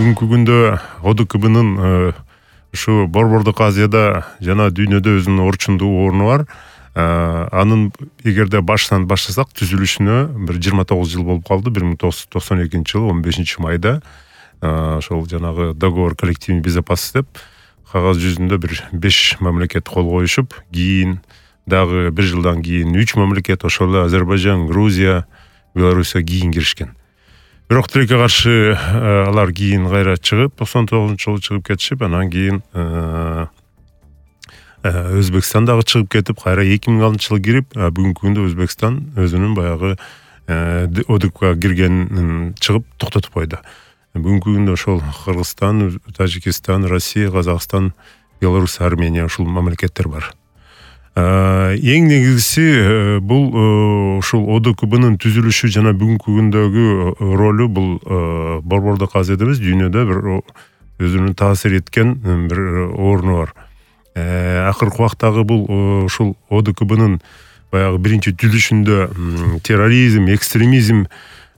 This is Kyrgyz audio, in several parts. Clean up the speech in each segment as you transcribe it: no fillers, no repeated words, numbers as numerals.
бүгүнкү күндө ОДКБнын ушу Борбордук Азияда жана дүйнөдө өзүнүн орчундуу орну бар. Анын эгерде башынан баштасак, түзүлүшүнө бир 29 жыл болуп калды. 1992-жылы 15-майда ошол жанагы договор коллективной безопасности деп кагаз жүзүндө бир 5 мамлекет кол коюшуп, кийин дагы 1 жылдан кийин 3 мамлекет, ошол эле Азербайжан, Грузия, Белоруссия кийин киришкен. Бирок тилекке каршы алар кийин кайра чыгып, 99-жылы чыгып кетишип, анан кийин Өзбекстан дагы чыгып кетип, кайра 2006-жылы кирип, бүгүнкү күндө Өзбекстан өзүнүн баягы ОДКБга киргенин чыгып токтотуп койду. Бүгүнкү күндө ошол Кыргызстан, Тажикстан, Россия, Казакстан, Беларусь, Армения ушул мамлекеттер бар. Эң негизгиси бул ушул ОДКБнын түзүлүшү жана бүгүнкү күндөгү ролу бул Борбордук Азияда эмес, дүйнөдө бир өзүнүн таасир эткен бир орну бар. Акыркы убактагы бул ушул ОДКБнын баягы биринчи түзүлүшүндө терроризм, экстремизм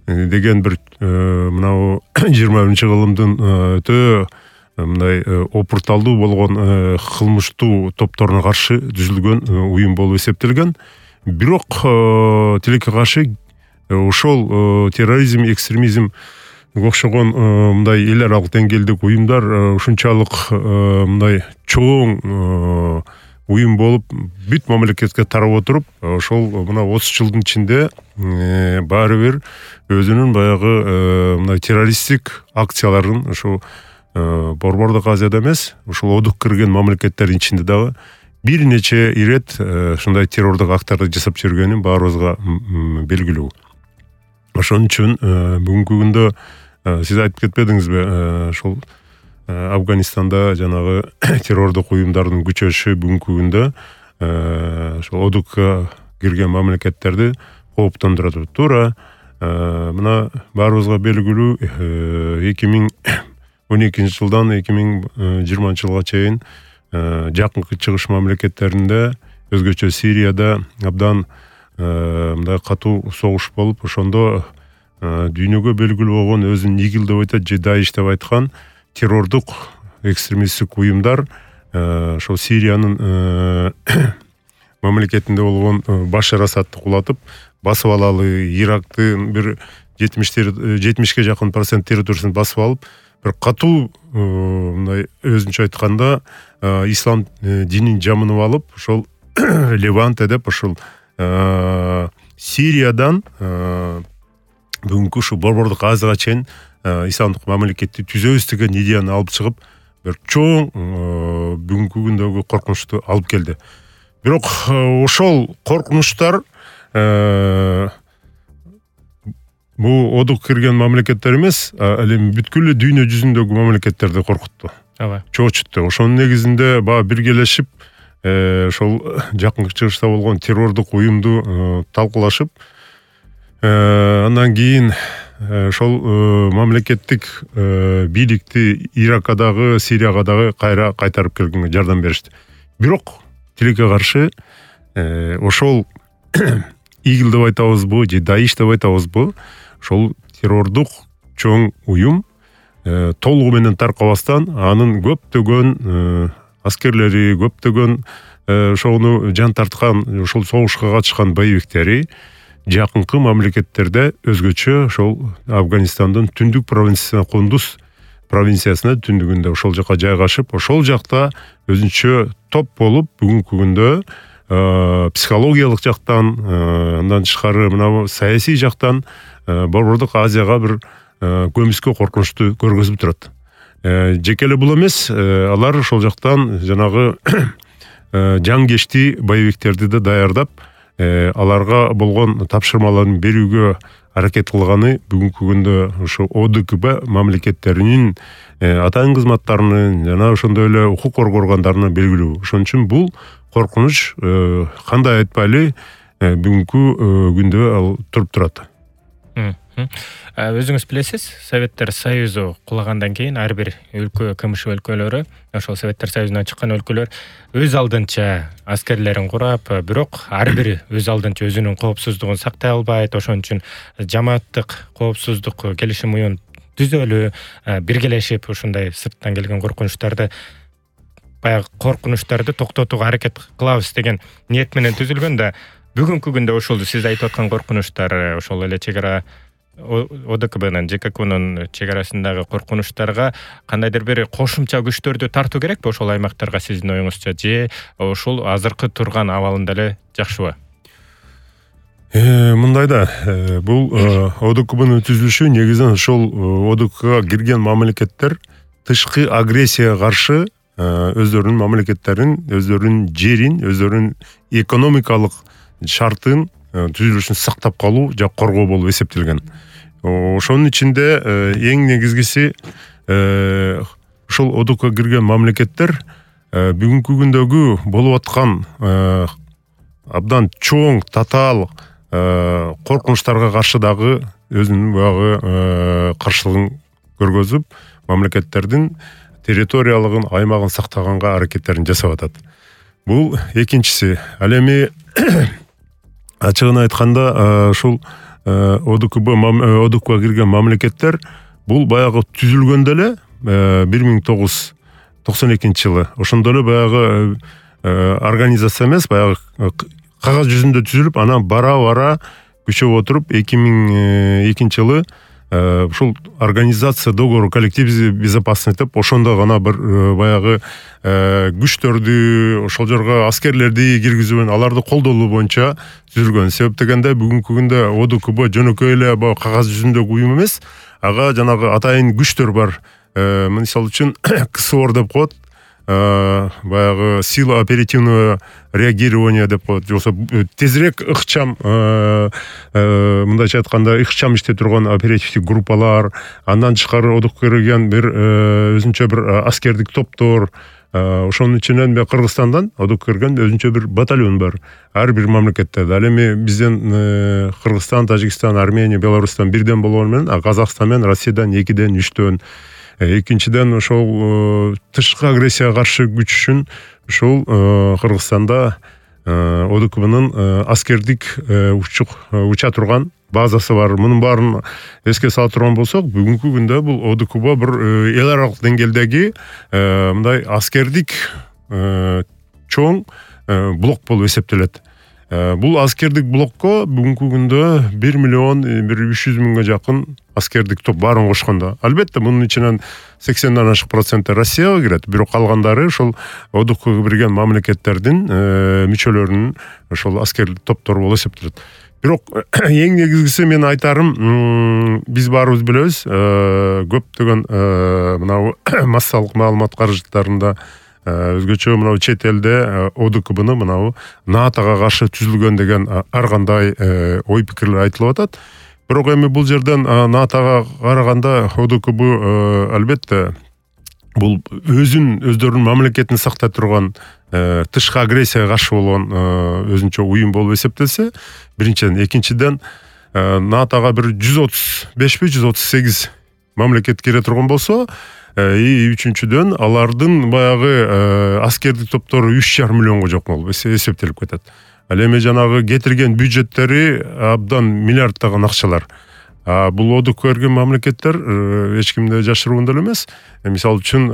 деген бир мынау 21-кылымдын өтө мындай опурталдуу болгон кылмыштуу топторуна каршы түзүлгөн уюм болуп эсептелген. Бирок тилекке каршы ошол терроризм, экстремизм окшогон мындай эл аралык деңгээлдеги уюмдар ушунчалык мындай чоң уюм болуп бүт мамлекетке тарап отуруп, ошол мына 30 жылдын ичинде баары бир өзүнүн баягы мындай террористтик акцияларын ошол Борбордук Азияда эмес, ушул ОДК кирген мамлекеттердин ичинде дагы бир нече ирет ушундай террордук актарды жасап жүргөнүн баарыбызга белгилүү. Ошон үчүн бүгүнкү күндө сиз айтып кетпедиңизби, ошол Афганистанда жанагы террордук уюмдардын күчөшү бүгүнкү күндө ошол ОДКка кирген мамлекеттерди кооптондурат. Туура мына баарыбызга белгилүү 2012-жылдан 2020-жылга чейин жакынкы чыгыш мамлекеттеринде, өзгөчө Сирияда абдан мындай катуу согуш болуп, ошондо дүйнөгө белгилүү болгон өзүн ИГИЛ деп айтат, же Даиш деп айткан террордук экстремисттик уюмдар ошол Сириянын мамлекетинде болгон Башар Асадты кулатып, басып алалы, Ирактын бир 70-ке жакын процент территориясын басып алып, бир катуу мындай өзүнчө айтканда ислам динин жамынып алып, ошол Леванте деп ошол Сириядан бүгүнкү ушу Борбордук Азияга чейин исламдык мамлекетти түзөбүз деген идеяны алып чыгып, бир чоң бүгүнкү күндөгү коркунучту алып келди. Бирок ошол коркунучтар бул ОДК кирген мамлекеттер эмес, ал эми бүткүл дүйнө жүзүндөгү мамлекеттерди коркутту. Чоочутту. Ошонун негизинде баягы биргелешип, ошол жакынкы чыгышта болгон террордук уюмду талкуулашып, андан кийин ошол мамлекеттик бийликти Иракка дагы, Сирияга дагы кайра кайтарып келгенге жардам беришти. Бирок тилекке каршы ошол ИГИЛ деп айтабызбы, же Даиш деп айтабызбы, ошол террордук чоң уюм толугу менен таркабастан, анын көптөгөн аскерлери, көптөгөн ошону жан тарткан, ошол согушка катышкан боевиктери жакынкы мамлекеттерде, өзгөчө ошол Афганистандын түндүк провинциясына, Кундуз провинциясына түндүгүндө ошол жака жайгашып, ошол жакта өзүнчө топ болуп, бүгүнкү күндө психологиялык жактан, андан тышкары мына саясий жактан Борбордук Азияга бир көмүскө коркунучту көргөзүп турат. Жеке эле бул эмес, алар ошол жактан жанагы жангечти боевиктерди да даярдап, аларга болгон тапшырмаларын берүүгө аракет кылганы бүгүнкү күндө ошо ОДКБ мамлекеттеринин атайын кызматтарынын жана ошондой эле укук коргоо органдарына белгилүү. Ошон үчүн бул коркунуч кандай айтпайлы бүгүнкү күндө ал туруп турат. Өзүңүз билесиз, Советтер Союзу кулагандан кийин ар бир өлкө, КМШ өлкөлөрү, ошол Советтер Союзунан чыккан өлкөлөр өз алдынча аскерлерин курап, бирок ар бири өз алдынча өзүнүн коопсуздугун сактай албайт. Ошон үчүн жамааттык коопсуздук келишим уюмун түзөлү, биргелешип ушундай сырттан келген коркунучтарды баягы коркунучтарды токтотууга аракет кылабыз деген ниет менен түзүлгөн да бүгүнкү күндө ошол сиз айтып аткан коркунучтар ошол эле чек ара ОДКБнын ЖККнын чек арасындагы коркунучтарга кандайдыр бир кошумча күчтөрдү тартуу керекпи ошол аймактарга сиздин оюңузча, же ошол азыркы турган абалында эле жакшыбы? Мындай да, бул ОДКБнын түзүлүшү негизинен ошол ОДКБга кирген мамлекеттер тышкы агрессияга каршы өздөрүнүн мамлекеттерин, өздөрүнүн жерин, өздөрүнүн экономикалык шартын түзүлүшүн сактап калуу же коргоо болуп эсептелген. Ошонун ичинде эң негизгиси ошол ОДКБга кирген мамлекеттер бүгүнкү күндөгү болуп аткан абдан чоң, татаал коркунучтарга каршы дагы өзүнүн баягы каршылыгын көргөзүп, мамлекеттердин территориялыгын, аймагын сактаганга аракеттерин жасап атат. Бул экинчиси. Ал эми ачыгын айтканда ушул ОДКБга кирген мамлекеттер бул баягы түзүлгөндө эле 1992 жылы ошондо эле баягы организация эмес, баягы кагаз жүзүндө түзүлүп, анан бара күчөп отуруп 2002 жылы ушул организация договору коллективной безопасности деп ошондо гана бир баягы күчтөрдү, ошол жерге аскерлерди киргизүү менен аларды колдолуу боюнча түзүлгөн. Себеп дегенде бүгүнкү күндө ОДКБ жөнөкөй эле кагаз жүзүндөгү уюм эмес, ага жанагы атайын күчтөр бар. Мисалы үчүн КСОР деп коет, баягы сила оперативного реагирования деп коет, же болбосо тезирээк ыкчам, мындайча айтканда ыкчам иштей турган оперативдик группалар, андан тышкары ОДКБга кирген бир өзүнчө бир аскердик топтор, ошонун ичинен Кыргызстандан ОДКБга кирген өзүнчө бир батальон бар. Ар бир мамлекетте. Ал эми бизден Кыргызстан, Тажикстан, Армения, Беларустан бирден болгону менен, а Казакстан менен Россиядан 2ден, 3дөн. Экинчиден ошол тышкы агрессияга каршы күч үчүн ошол Кыргызстанда ОДКБнын аскердик уча турган базасы бар. Мунун баарын эске сала турган болсок, бүгүнкү күндө бул ОДКБ бир эл аралык деңгээлдеги мындай аскердик чоң блок болуп эсептелет. Бул аскердик блокко бүгүнкү күндө 1 миллион 300 миңге жакын аскердик топ баарын кошкондо. Албетте мунун ичинен 80-дан ашык проценти Россияга кирет, бирок калгандары ошол ОДКБга кирген мамлекеттердин мүчөлөрүнүн ошол аскерлик топтору болуп эсептелет. Бирок эң негизгиси мен айтарым, биз баарыбыз билебиз, көптөгөн мынау массалык маалымат каражаттарында өзгөчө мынау чет элде ОДКБны мынау НАТОга каршы түзүлгөн деген ар кандай ой пикирлер айтылып атат. Бирок эми бул жерден НАТОга караганда ОДКБ албетте бул өздөрүнүн мамлекетин сактай турган тышкы агрессияга каршы болгон өзүнчө уюм болуп эсептелсе, биринчиден. Экинчиден, НАТОга бир 135-138 мамлекет кире турган болсо, үчүнчүдөн алардын баягы аскердик топтору 3,5 миллионго жок болуп эсептелип кетет. Ал эми жанагы кетирген бюджеттери абдан миллиарддаган акчалар. Бул ОДКБга кирген мамлекеттер эч кимде жашыруун деле эмес. Мисалы үчүн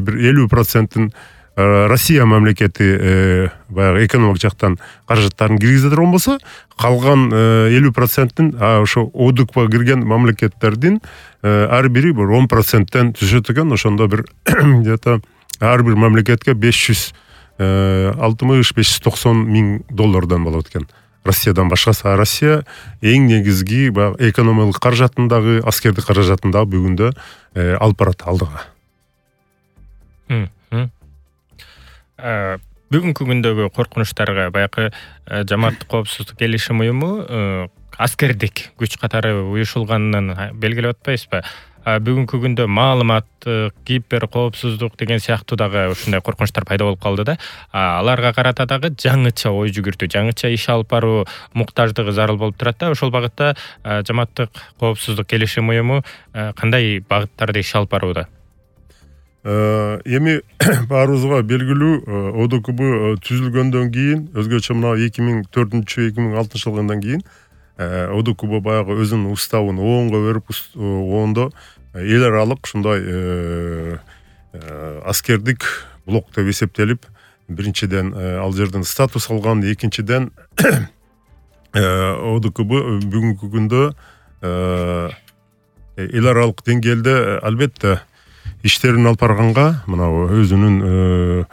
бир 50% Россия мамлекети баягы экономик жактан каражаттарын киргизе турган болсо, калган 50%-ин ошо ОДКБга кирген мамлекеттердин ар бири бир 10%-тен түшөт экен. Ошондо бир где-то ар бир мамлекетке 560-590 миң доллардан болот экен. Россиядан башкасы. Россия эң негизги баягы экономикалык каражатындагы, аскердик каражатындагы бүгүндө алып барат алдыга. Бүгүнкү күндөгү коркунучтарга баягы Жамааттык коопсуздук келишим уюму аскердик күч катары уюшулганын белгилеп атпайсызбы? Бүгүнкү күндө маалыматтык, кибер коопсуздук деген сыяктуу дагы ушундай коркунучтар пайда болуп калды да. Аларга карата дагы жаңыча ой жүгүртүү, жаңыча иш алып баруу муктаждыгы зарыл болуп турат да. Ошол багытта Жамааттык коопсуздук келишим уюму кандай багыттарда иш алып барууда? Эми баарыбызга белгилүү, ОДКБ түзүлгөндөн кийин, өзгөчө мына 2004-2006 жылдан кийин ОДКБ баягы өзүнүн уставын оонго берип, оондо эл аралык ушундай аскердик блок деп эсептелип, биринчиден ал жерден статус алган, экинчиден ОДКБ бүгүнкү күндө эл аралык деңгээлде албетте иштерин алып барганга, мына өзүнүн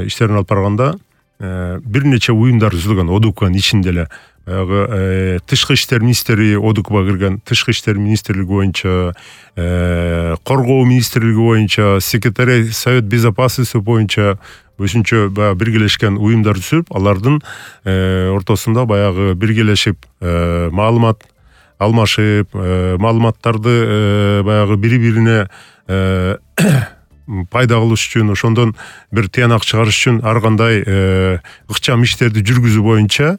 иштерин алып барганда бир нече уюмдар түзүлгөн ОДКБнын ичинде эле. Баягы тышкы иштер министри ОДКБга кирген, тышкы иштер министрлиги боюнча, коргоо министрлиги боюнча, секретарь Совет безопасности боюнча өзүнчө баягы биргелешкен уюмдар түзүп, алардын ортосунда баягы биргелешип, маалымат алмашып, маалыматтарды баягы бири-бирине пайда кылыш үчүн, ошондон бир тыянак чыгарыш үчүн ар кандай ыкчам иштерди жүргүзүү боюнча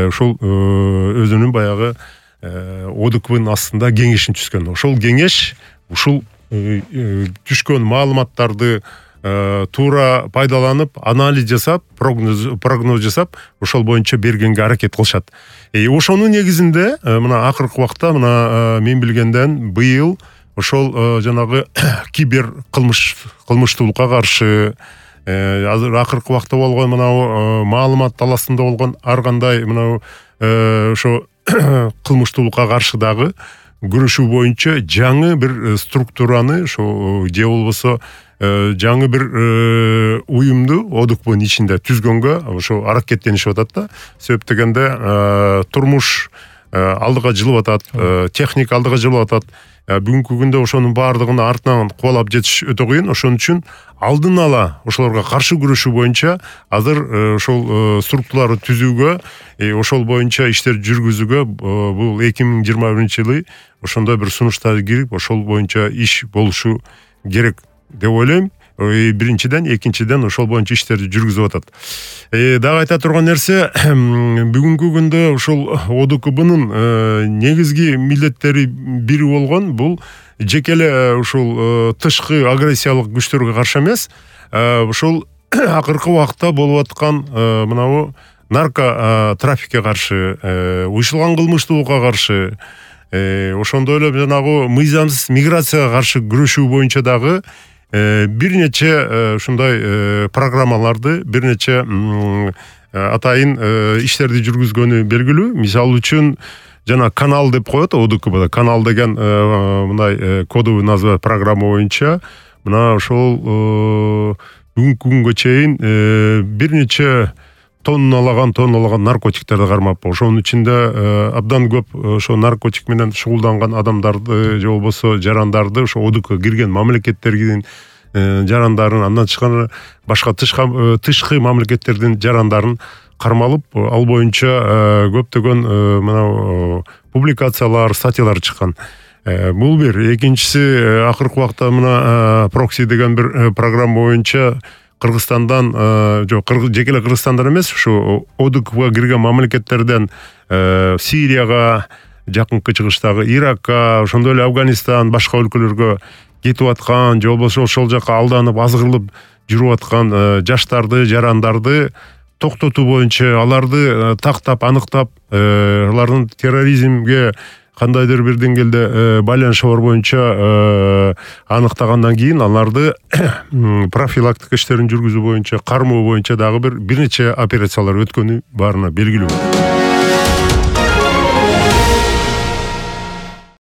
ошол өзүнүн баягы ОДКБнын астында кеңешин түзгөн. Ошол кеңеш ушул түшкөн маалыматтарды туура пайдаланып, анализ жасап, прогноз жасап, ошол боюнча бергенге аракет кылышат. Ошонун негизинде мына акыркы убакта, мына мен билгенден быйыл ошол жанагы кибер кылмыштуулукка каршы, азыр акыркы убакта болгон мына маалымат таласында болгон ар кандай мына ошо кылмыштуулукка каршы дагы күрөшүү боюнча жаңы бир структураны, ошо же болбосо жаңы бир уюмду ОДКБнын ичинде түзгөнгө ошо аракеттенишип атат да. Себеп дегенде турмуш алдыга жылып атат, техника алдыга жылып атат. Бүгүнкү күндө ошонун баардыгын артынан кубалап жетиш өтө кыйын. Ошон үчүн алдын ала ошолорго каршы күрөшүү боюнча азыр ошол структураларды түзүүгө, ошол боюнча иштер жүргүзүүгө бул 2021-жылы ошондой бир сунуштар кирип, ошол боюнча иш болушу керек деп ойлойм. Биринчиден, экинчиден ошол боюнча иштерди жүргүзүп атат. Дагы айта турган нерсе, бүгүнкү күндө ушул ОДКБнын негизги милдеттери бири болгон бул жеке эле ушул тышкы агрессиялык күчтөргө каршы эмес, ушул акыркы убакта болуп аткан мынабу нарко трафикке каршы, уюшулган кылмыштуулукка каршы, ошондой эле жанагы мыйзамсыз миграцияга каршы күрөшүү боюнча дагы бир нече ушундай программаларды, бир нече атайын иштерди жүргүзгөнү белгилүү. Мисалы үчүн жана канал деп коет ОДКБда. Канал деген мындай кодовый назва программа боюнча мына ошол бүгүнкү күнгө чейин бир нече тонналаган наркотиктерди кармап, ошонун ичинде абдан көп ошо наркотик менен шугулданган адамдарды же болбосо жарандарды, ошо ОДКБга кирген мамлекеттердин жарандарын, андан тышкары башка тышкы мамлекеттердин жарандарын кармалып, ал боюнча көптөгөн мына публикациялар, статьялар чыккан. Бул бир. Экинчиси, акыркы убакта мына прокси деген бир программа боюнча Кыргызстандан, жеке эле Кыргызстандан эмес, ушу ОДКБга кирген мамлекеттерден Сирияга, жакынкы чыгыштагы Иракка, ошондой эле Афганистан, башка өлкөлөргө кетип аткан, же болбосо ошол жака алданып, азгырылып жүрүп аткан жаштарды, жарандарды токтотуу боюнча, аларды тактап, аныктап, алардын терроризмге кандайдыр бир деңгээлде байланышы бар боюнча аныктагандан кийин аларды профилактика иштерин жүргүзүү боюнча, кармоо боюнча дагы бир нече операциялар өткөнү баарына белгилүү.